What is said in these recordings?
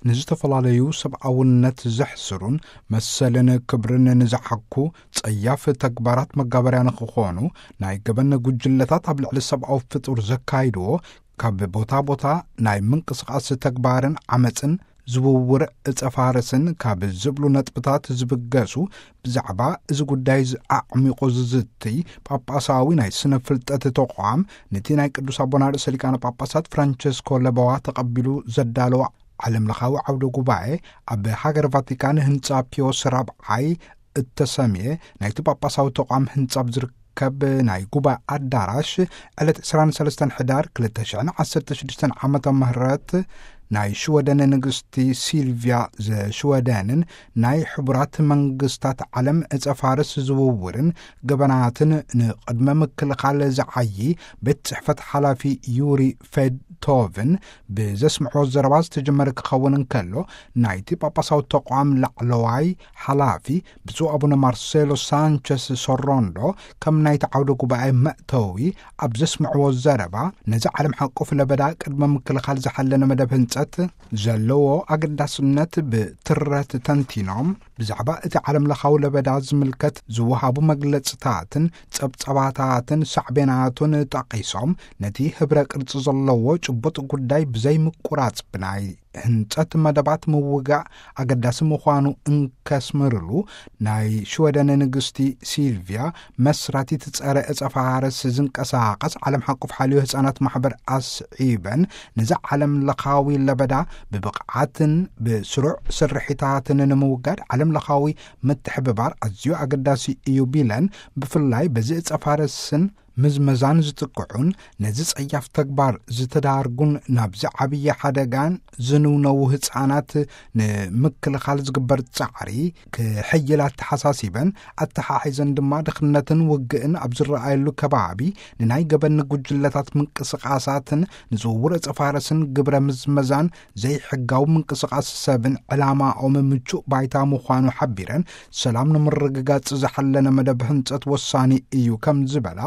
ንዝተፈላለዩ ሰብኣውነት ዘሕስሩን መሰልን ክብርን ንዝሓኩ ጸያፍ ተግባራት መጋበርያ ንኽኾኑ፣ ናይ ገበን ጉጅለታት ኣብ ልዕሊ ሰብኣዊ ፍጡር ዘካይድዎ ካብ ቦታ ቦታ ናይ ምንቅስቓስ ተግባርን ዓመፅን ዝውውር እፀ ፋርስን ካብ ዝብሉ ነጥብታት ዝብገሱ፣ ብዛዕባ እዚ ጉዳይ ኣዕሚቑ ዝዝትይ ጳጳሳዊ ናይ ስነ ፍልጠት ተቋም፣ ነቲ ናይ ቅዱስ ኣቦና ርእሰ ሊቃነ ጳጳሳት ፍራንቸስኮ ለበዋ ተቐቢሉ ዘዳለወ ዓለም ለኻዊ ዓውደ ጉባኤ፣ ኣብ ሃገር ቫቲካን ህንጻ ፒዮስ ራብዓይ እተሰምየ ናይቲ ጳጳሳዊ ተቋም ህንጻ ኣብ ዝርከብ ናይ ጉባኤ ኣዳራሽ፣ ዕለት ዕስራን ሰለስተን ሕዳር ክልተ ሽሕን ዓሰርተ ሽዱሽተን ዓመተ ምህረት፣ ናይ ሽወደን ንግስቲ ሲልቪያ ዘሽወደንን ናይ ሕቡራት መንግስታት ዓለም እጸ ፋርስ ዝውውርን ገበናትን ንቕድመ ምክልኻል ዝዓዪ ቤት ጽሕፈት ሓላፊ ዩሪ ፌድቶቭን ብዘስምዕዎ ዘረባ ዝተጀመረ ክኸውን እንከሎ፣ ናይቲ ጳጳሳዊ ተቋም ላዕለዋይ ሓላፊ ብፁዕ ኣቡነ ማርሴሎ ሳንቸስ ሶሮንዶ ከም ናይቲ ዓውደ ጉባኤ መእተዊ ኣብ ዘስምዕዎ ዘረባ፣ ነዚ ዓለም ሓቆፍ ለበዳ ቅድመ ምክልኻል ዝሓለነ መደብ ህንጸት ዘለዎ ኣገዳስነት ብትረት ተንቲኖም፣ ብዛዕባ እቲ ዓለም ለኻዊ ለበዳ ዝምልከት ዝወሃቡ መግለጽታትን ጸብጸባታትን ሳዕቤናቱን ጠቒሶም፣ ነቲ ህብረ ቅርጺ ዘለዎ ጭቡጥ ጉዳይ ብዘይምቁራጽ ብናይ ህንጸት መደባት ምውጋእ ኣገዳሲ ምዃኑ እንከስምርሉ፣ ናይ ሽወደን ንግስቲ ሲልቪያ መስራቲት ጸረ እጸ ፋርስ ዝንቀሳቐስ ዓለም ሓቆፍ ሓልዮ ህጻናት ማሕበር ኣስዒበን፣ ነዚ ዓለም ለኻዊ ለበዳ ብብቕዓትን ብስሩዕ ስርሒታትን ንምውጋድ ዓለም ለኻዊ ምትሕብባር ኣዝዩ ኣገዳሲ እዩ ቢለን፣ ብፍላይ በዚ እጸ ፋርስን ምዝመዛን ዝጥቅዑን ነዚ ጸያፍ ተግባር ዝተዳርጉን ናብዚ ዓብዪ ሓደጋን ዝንውነዉ ህጻናት ንምክልኻል ዝግበር ጻዕሪ ክሕይል ኣተሓሳሲበን፣ ኣተሓሒዘን ድማ ድኽነትን ውግእን ኣብ ዝረኣየሉ ከባቢ ንናይ ገበን ጉጅለታት ምንቅስቓሳትን ንዝውውር እጸ ፋርስን ግብረ ምዝመዛን ዘይሕጋዊ ምንቅስቓስ ሰብን ዕላማኦም ምቹእ ባይታ ምዃኑ ሓቢረን፣ ሰላም ንምርግጋጽ ዝሓለነ መደብ ህንጸት ወሳኒ እዩ ከም ዝበላ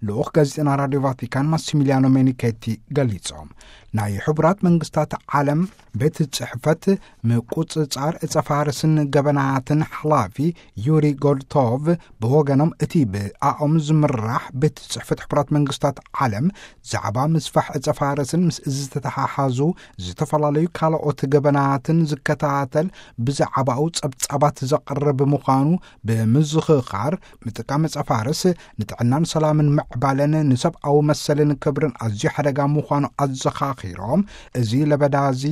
ልኡኽ ጋዜጠና ራድዮ ቫቲካን ማሲሚሊያኖ ሜኒኬቲ ገሊጾም። ናይ ሕቡራት መንግስታት ዓለም ቤት ጽሕፈት ምቁጽጻር እጸ ፋርስን ገበናትን ሓላፊ ዩሪ ጎድቶቭ ብወገኖም፣ እቲ ብኣኦም ዝምራሕ ቤት ጽሕፈት ሕቡራት መንግስታት ዓለም ዛዕባ ምስፋሕ እጸ ፋርስን ምስ እዚ ዝተተሓሓዙ ዝተፈላለዩ ካልኦት ገበናትን ዝከታተል ብዛዕባኡ ጸብጻባት ዘቕርብ ምዃኑ ብምዝኽኻር፣ ምጥቃም እጸ ፋርስ ንጥዕናን ሰላምን ምዕባለን ንሰብኣዊ መሰልን ክብርን ኣዝዩ ሓደጋ ምዃኑ ኣዘኻኺሮም፣ እዚ ለበዳ እዚ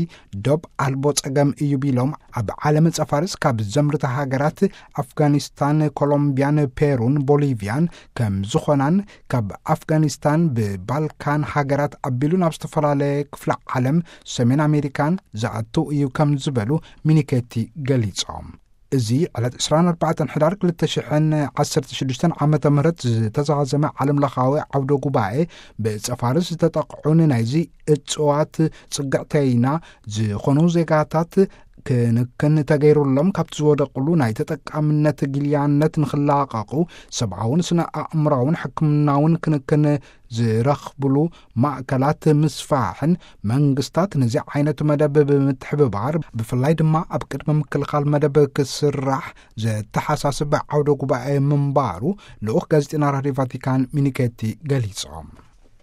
ዶብ ኣልቦ ጸገም እዩ ቢሎም፣ ኣብ ዓለም እጸ ፋርስ ካብ ዘምርታ ሃገራት ኣፍጋኒስታን፣ ኮሎምቢያን፣ ፔሩን ቦሊቪያን ከም ዝኾናን፣ ካብ ኣፍጋኒስታን ብባልካን ሃገራት ኣቢሉ ናብ ዝተፈላለየ ክፍለ ዓለም ሰሜን ኣሜሪካን ዝኣቱ እዩ ከም ዝበሉ ሚኒኬቲ ገሊጾም። እዚ ዕለት ዕስራን ኣርባዕተን ሕዳር ክልተ ሽሕን ዓሰርተ ሽዱሽተን ዓመተ ምህረት ዝተዛዘመ ዓለም ለኻዊ ዓውደ ጉባኤ፣ ብጸፋርስ ዝተጠቕዑን ናይዚ እጽዋት ጽግዕተይና ዝኾኑ ዜጋታት ክንክን ተገይሩሎም ካብቲ ዝወደቕሉ ናይ ተጠቃምነት ጊልያነት ንኽላቐቑ፣ ሰብኣውን ስነ ኣእምራውን ሕክምናውን ክንክን ዝረኽብሉ ማእከላት ምስፋሕን፣ መንግስታት ነዚ ዓይነት መደብ ብምትሕብባር፣ ብፍላይ ድማ ኣብ ቅድመ ምክልኻል መደብ ክስራሕ ዘተሓሳስብ ዓውደ ጉባኤ ምንባሩ ልኡኽ ጋዜጠና ራድዮ ቫቲካን ሚኒኬቲ ገሊጾም።